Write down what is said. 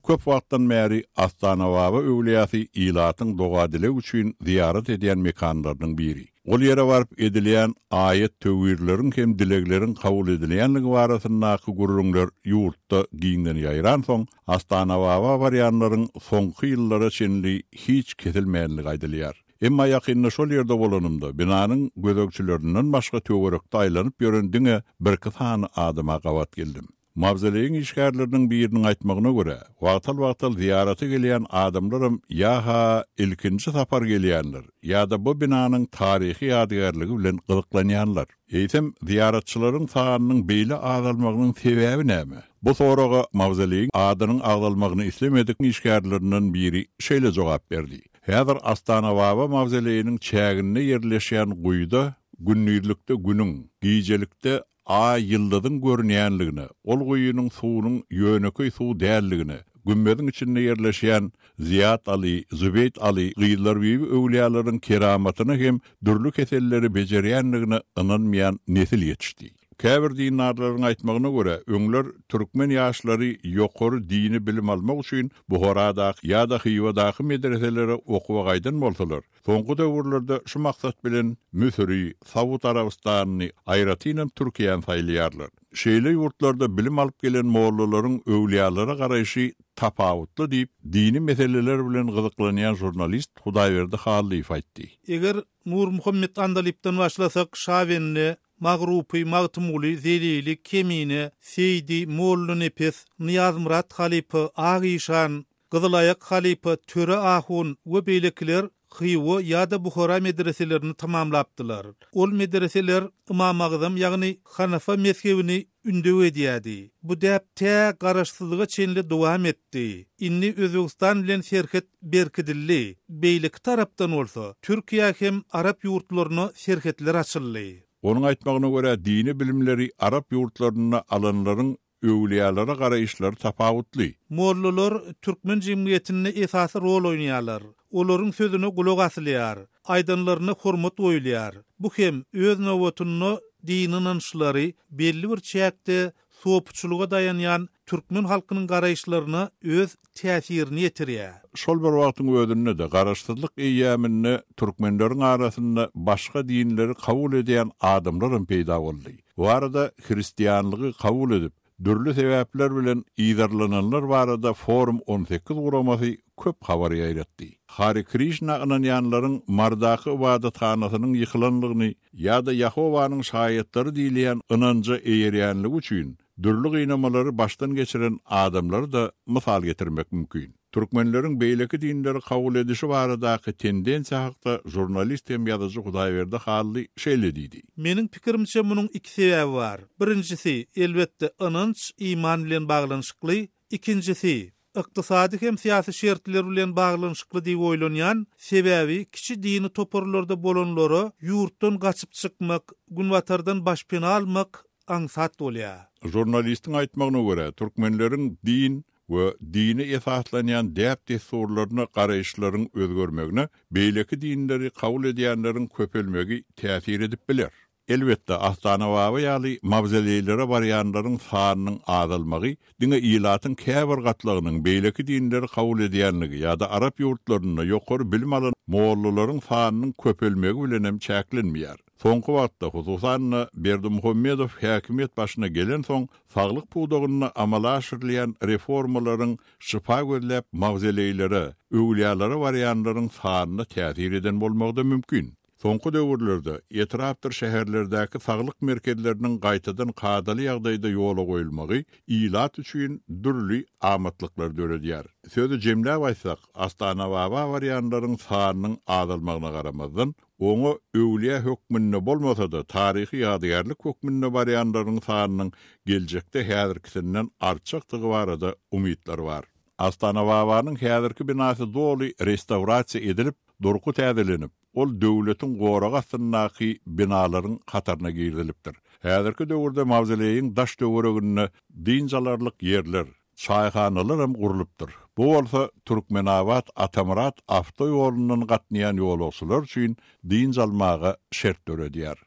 Köp wagtdan bäri Astanababa öwlüýäsi ilatyň doga-dileg üçin zyýarat edýän mekanlarynyň biri. Ol ýere baryp edilýän aýat-töwirleriň hem dilegleriň kabul edilýänligi barasyndaky gürrüňler ýurtda giňden ýaýransoň, Astanababa barýanlaryň soňky ýyllara çenli hiç kesilmänligi aýdylýar. Emma ýakynda şol ýerde bolanymda, binanyň gözegçilerinden başga töwerekde aýlanyp ýören diňe birki sany adama gabat geldim. Mawzoleýiň işgärleriniň biriniň aýtmagyna görä, wagtal-wagtal zyýarata gelýän adamlaram ýa-ha ilkinji sapar gelýänler, ýa-da bu binanyň taryhy ýadygärligi bilen gyzyklanýanlar. Eýsem, zyýaratçylaryň sanynyň beýle azalmagynyň sebäbi näme? Bu soraga mawzoleýiň adynyň agzalmagyny islemedik işgärlerinden biri şeýle jogap berdi, Häzir Astanababa mawzoleýiniň çäginde ýerleşýän guýuda gündizlikde Günüň, gijelikde Aý ýyldyzyň görünýänligine, ol guýynyň suwunyň ýönekeý suw däldigine, gümmeziň içinde ýerleşýän Zyýat Aly, Zübeýt Aly, Gyzlarbibi öwlüýalaryň keramatyna hem dürli keselleri bejerýändigine ynanmaýan nesil ýetişdi. Käbir dindarlaryň aýtmagyna görä, öňler türkmen ýaşlary ýokary dini bilim almak üçin Buharadaky ýa-da Hywadaky medreselere okuwa gaýdan bolsalar, Soňky döwürlerde şu maksat bilen Müsüri, Saud Arabystanyny, aýratynam Türkiýäni saýlaýarlar. Şeýle ýurtlarda bilim alyp gelen mollalaryň öwlüýalara garaýşy tapawutly diýip, dini meseleler bilen gyzyklanýan žurnalist Hudaýberdi Hallyýew aýtdy. Eger Nurmuhammet Andalypdan başlasak, Şabende, Magrupy, Magtymguly, Zelili, Kemine, Seýdi, Mollanepes, Nyýazmyrat halypa, Ak işan, Gyzylaýak halypa, Töre ahun we beýlekiler Hywa ýa-da Buhara medreselerini tamamlapdylar. Ol medreseler Ymamagzam ýagny Hanafa mezhebini ündew edýärdi. Bu däp tä garaşsyzlyga çenli dowam etdi. Indi Özbegistan bilen serhet berkidildi. Beýleki tarapdan bolsa, Türkiýä hem arap ýurtlaryna serhetler açyldy. Onuň aýtmagyna görä, dini bilimleri arap ýurtlarynda alanlaryň Öwlüýalara garaýyşlary tapawutly. Mollalar türkmen jemgyýetinde esasy rol oýnaýarlar. Olaryň sözüne gulak asylýar, aýdanlaryna hormat goýulýar. Bu hem, öz nobatynda, dini ynançlary belli bir çäkde sopuçylyga daýanýan türkmen halkynyň garaýyşlaryna öz täsirini ýetirýär. Şol bir wagtyň özünde-de, Garaşsyzlyk eýýamynda türkmenleriň arasynda başga dinleri kabul edýän adamlaram peýda boldy. Bu arada hristianlygy kabul edip, dürli sebäpler bilen yzarlananlar barada Forum 18 guramasy köp habar ýaýratdy. Hare Krişna ynanýanlaryň Marydaky ybadathanasynyň ýykylanlygyny ýa-da Ýehowanyň şaýatlary diýilýän ynanja eýerýänligi üçin dürli gynamalary başdan geçiren adamlary-da mysal getirmek mümkin. Türkmenleriň beýleki dinleri kabul edişi baradaky tendensiýa hakda žurnalist hem ýazyjy Hudaýberdi Hally şeýle diýdi. Meniň pikirimçe munuň iki sebäbi bar. Birinjisi, elbetde, ynanç, iman bilen baglanyşykly. Ikinjisi, ykdysady hem syýasy şertler bilen baglanyşykly diýip oýlanýan, sebäbi kiçi dini toparlarda bolanlara ýurtdan gaçyp çykmak, Günbatardan başpena almak aňsat bolýar. Žurnalistiň aýtmagyna görä, türkmenleriň din we dine esaslanýan däp-dessurlaryna garaýyşlaryň özgermegine beýleki dinleri kabul edýänleriň köpelmegi täsir edip biler. Elbetde, Astanababa ýaly mawzoleýlere barýanlaryň sanynyň azalmagy diňe ilatyň käbir gatlagynyň beýleki dinleri kabul edýänligi ýa-da arap ýurtlarynda ýokary bilim alan mollalaryň sanynyň köpelmegi bilenem çäklenmeýär. Soňky wagtda, hususan-da, Berdimuhamedow häkimiýet başyna gelensoň, saglyk pudagynda amala aşyrylýan reformalaryň şypa gözläp mawzoleýlere, öwlüýalara barýanlaryň sanyna täsir eden bolmagy-da mümkin. Soňky döwürlerde etrapdyr şäherlerdäki saglyk merkezleriniň gaýtadan kadaly ýagdaýda ýola goýulmagy ilat üçin dürli amatlyklar döredýär. Sözi jemläp aýtsak, Astanababa barýanlaryň sanynyň azalmagyna garamazdan, oňa öwlüýä hökmünde bolmasa-da, taryhy ýadygärlik hökmünde barýanlaryň sanynyň geljekde häzirkisinden artjakdygy barada umytlar bar. Astanababanyň häzirki binasy doly restawrasiýa edilip, durky täzelenip, ol döwletiň goragy astyndaky binalaryň hataryna girizilipdir. Häzirki döwürde mawzoleýiň daş-töwereginde dynç alarlyk ýerler, çaýhanalaram gurlupdyr. Bu bolsa Türkmenabat-Atamyrat awtoýolundan gatnaýan ýolagçylar üçin dynç almaga şert döredýär.